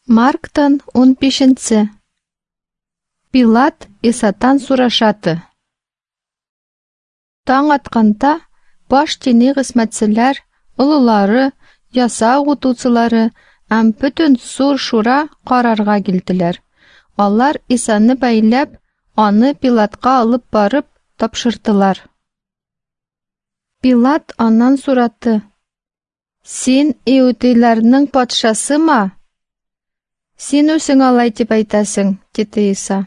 Марктан 15-нче. Пилат Исатан сурашаты. Таң атканда баш дини хезмәтчеләр, олылары, яса укытучылары һәм бөтен зур шура карарга килделәр. Алар Исаны бәйләп, аны Пилатка алып барып тапшырдылар. Пилат аннан сорады: "Син иудейларның патшасымы?" "Син үзең алай дип әйтәсең", диде Иса.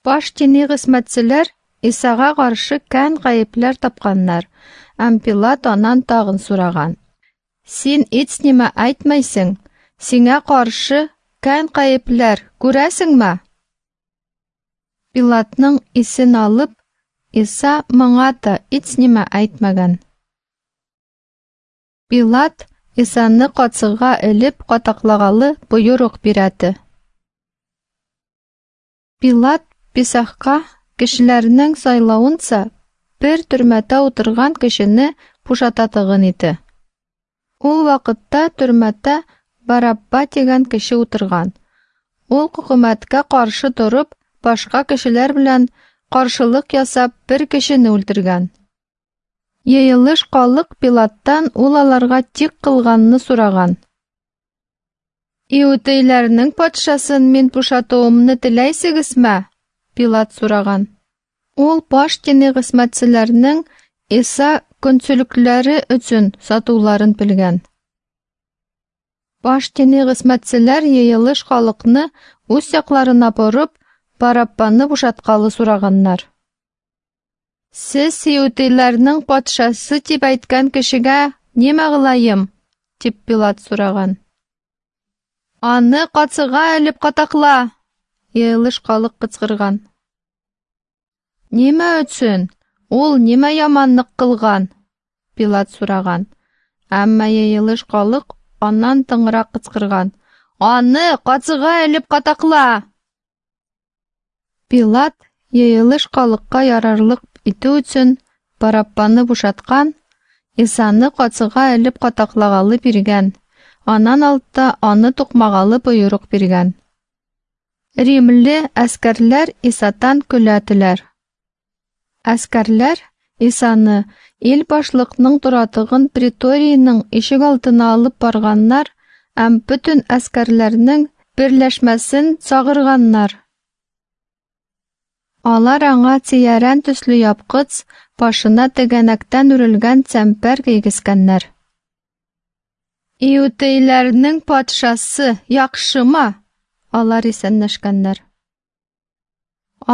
Баш дини хезмәтчеләр Исага каршы кән гаепләр тапканнар, һәм Пилат аннан тагын сораган: "Син һич нимә әйтмәйсең? Сиңа каршы кән гаепләр күрәсеңме?" Пилатның исен алып, Иса моңа да һич нимә әйтмәгән. Пилат Исаны кацыга элеп катаклагалы боерык бирәде. Пилат Писахка кешеләрнең сайлавынча бер төрмәдә утырган кешене бушататыгын иде. Ул вакытта төрмәдә Барабба дигән кеше утырган. Ул хөкүмәткә каршы торып, башка кешеләр белән каршылык ясап, бер кешене үтергән. Йыелыш халык Пилаттан ул аларга тик кылганны сораган. "Иудейләрнең патшасын мин бушатуымны теләйсегезме?" Пилат сораган. Ул баш дини хезмәтчеләрнең Иса көнчелекләре өчен сатуларын белгән. Баш дини хезмәтчеләр йыелыш халыкны үз якларына борып, Бараббаны бушаткалы сораганнар. "Сез иудейларның патшасы дип әйткән кешегә нимә кылаем?" дип Пилат сораган. "Аны кацыга элеп катакла!" йыелыш халык кычкырган. "Нимә өчен? Ул нимә яманлык кылган?" Пилат сораган. Әмма йыелыш халык аннан тыңрак кычкырган: "Аны кацыга элеп катакла!" Пилат йыелыш халыкка ярарлык итү өчен Бараббаны бушаткан, Исаны кацыга элеп катаклагалы биргән, аннан алтта аны тукмагалы боерык биргән. Римле әскәрләр Исатан көләделәр. Әскәрләр Исаны ил башлыкның торатыгын преторийның ишек алдына алып барганнар һәм бөтен әскәрләрнең берләшмәсен чагырганнар. Алар аңа тиярән төсле япкыч, башына тегәнәктән үрелгән чәмпәр кигезгәннәр. "Иудейләрнең патшасы яхшымы?" Алар исәнләшкәннәр.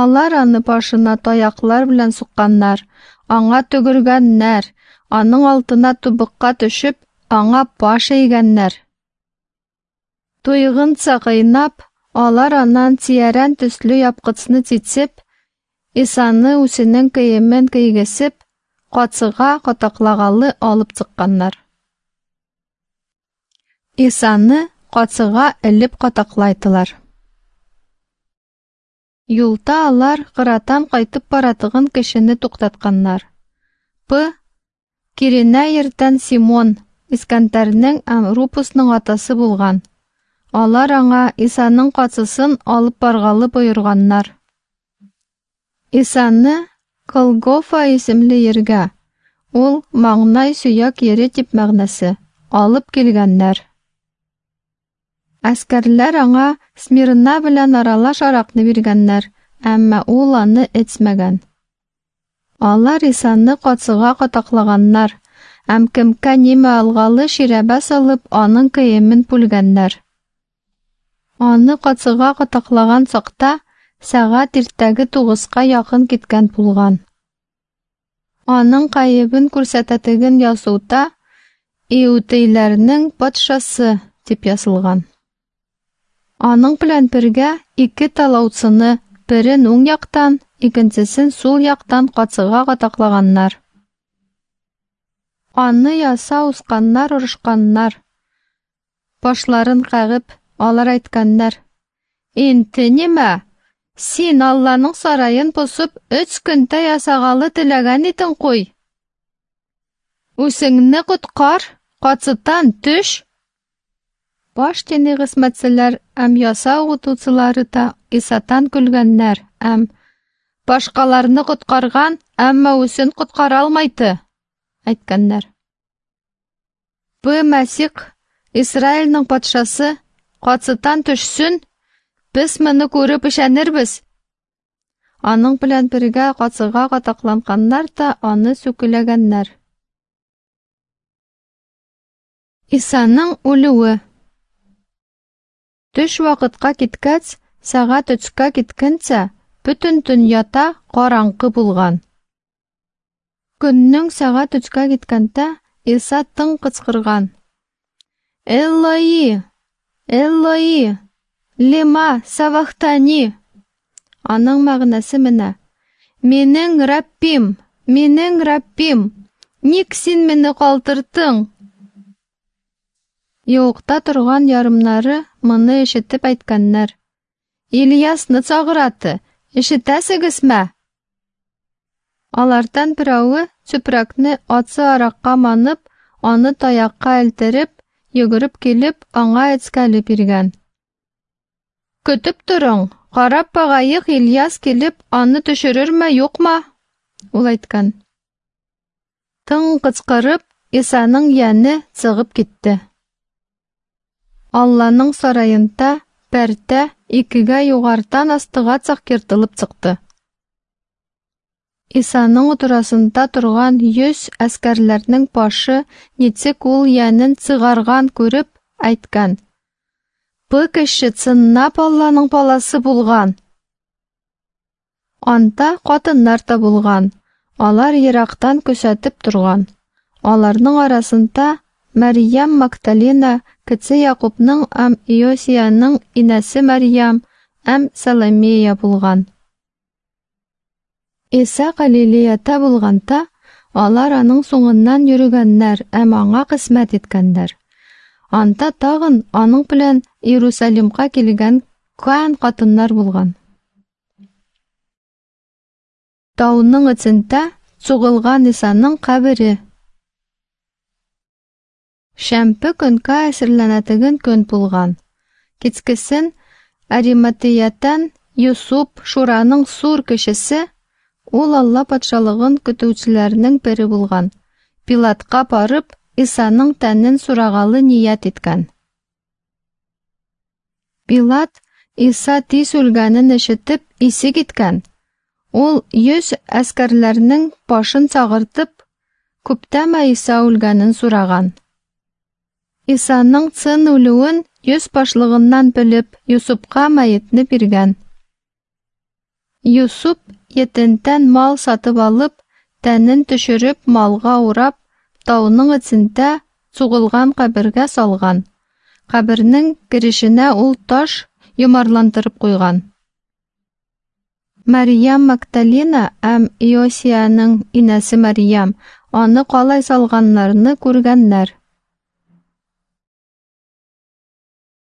Алар аны башына таяклар белән сукканнар, аңа төгергәннәр, аның алтына тубыкка төшеп, аңа баш эйгәннәр. Туйгынча кыйнап, алар аннан тиярән төсле япкычны чичеп, Исаны үзенең киемен кигезеп, кацыга катаклагалы алып чыкканнар. Исаны кацыга элеп катаклайтылар. Юлда алар кыратан кайтып баратыгын кешене туктатканнар. П. Киренә йөртән Симон, Искәндәрнең һәм Рупусның атасы булган. Алар аңа Исаның кацысын алып баргалы боерганнар. Исаны Голгофа исемле ергә, ул маңнай сөяк ере дип мәгънәсе, алып килгәннәр. Әскәрләр аңа смирна белән аралаш аракны биргәннәр, әмма ул аны эчмәгән. Алар Исаны кацыга катаклаганнар, һәм кемкә нимә алгалы ширәбә салып, аның киемен бүлгәннәр. Аны кацыга катаклаган чакта сәгать иртәге 9-ка якын киткән булган. Аның гаебен күрсәтәтеген язуда "Иудейләрнең патшасы" дип язылган. Аның белән бергә ике талаучыны, берен уң яктан, икенчесен сул яктан кацыга катаклаганнар. Аны яса усканнар орышканнар. Башларын кагып, алар әйткәннәр: "Инде нимә? Син Алланың сараен бозып, 3 көндә ясагалы теләгән идең куй. Үзеңне коткар, кацытан төш!" Баш дини хезмәтчеләр һәм яса укытучылары да Исатан көлгәннәр һәм: "Башкаларны коткарган, әмма үзен коткара алмайды", әйткәннәр. Бу Мәсих, Израильнең патшасы, кацытан төшсен, без моны күреп ышанырбыз. Аның белән бергә кацыга катакланганнар да аны сүкеләгәннәр. Исаның үлүе. Төш вакытка киткәч, сәгать өчкә киткәнчә, бөтен дөньяда караңгы булган. Көннең сәгать өчкә киткәндә, Иса тын кычкырган: "Эллои, Эллои, лема савахтани?" Аның мәгънәсе менә: "Минең Раббим, минең Раббим, ник син мине калдырдың?" Юыкта торган ярымнары моны ишетеп әйткәннәр: "Ильясны чагыраты, ишетәсегезме?" Алардан берәве чүпрәкне ачы аракка манып, аны таякка элдереп, йөгереп килеп, аңа эчкәле биргән. Көтеп торың, карап багаек, Ильяс килеп, аны төшерерме, юкмы? Ул әйткән. Тын кычкырып, Исаның яне чыгып китте. Алланың сараенда пәрдә икегә югарыдан астыга чак ертылып чыкты. Исаның утырасында торган 100 әскәрләрнең башы ничек ул янын чыгарган күреп әйткән: "Бу кеше чынлап Алланың баласы булган." Анда катыннар да булган. Алар ерактан күзәтеп торган. Аларның арасында Мәрьям Магдалина, кече Якубның һәм Иосияның инәсе Мәрьям һәм Саломея булган. Иса Галилеяда булганда, алар аның соңыннан йөрегәннәр һәм аңа хезмәт иткәннәр. Анда тагын аның белән Иерусалимга килгән кан катыннар булган. Тауның эчендә сугылган Исаның кабере. Шәмпе көнгә әзерләнәтеген көн булган. Кичкесен Ариматеятан Юсуп, Шураның сур кешесе, ул Алла патшалыгын көтүчеләрнең бере булган. Пилатка барып, Исаның тәнен сурагалы ният иткән. Пилат Иса тиз үлгәнен ишетеп, исе киткән. Ул 100 әскәрләрнең башын чагыртып, күптәме Иса үлгәнен сураган. Исаның чын үлүен 100 башлыгыннан белеп, Юсупка мәетне биргән. Юсуп етентән мал сатып алып, тәнен төшереп, малга урап, тауның эчендә сугылган кабергә салган. Кабернең керешенә ул таш йомарландырып куйган. Мәрьям Магдалина һәм Иосияның инәсе Мәрьям аны калай салганнарны күргәннәр.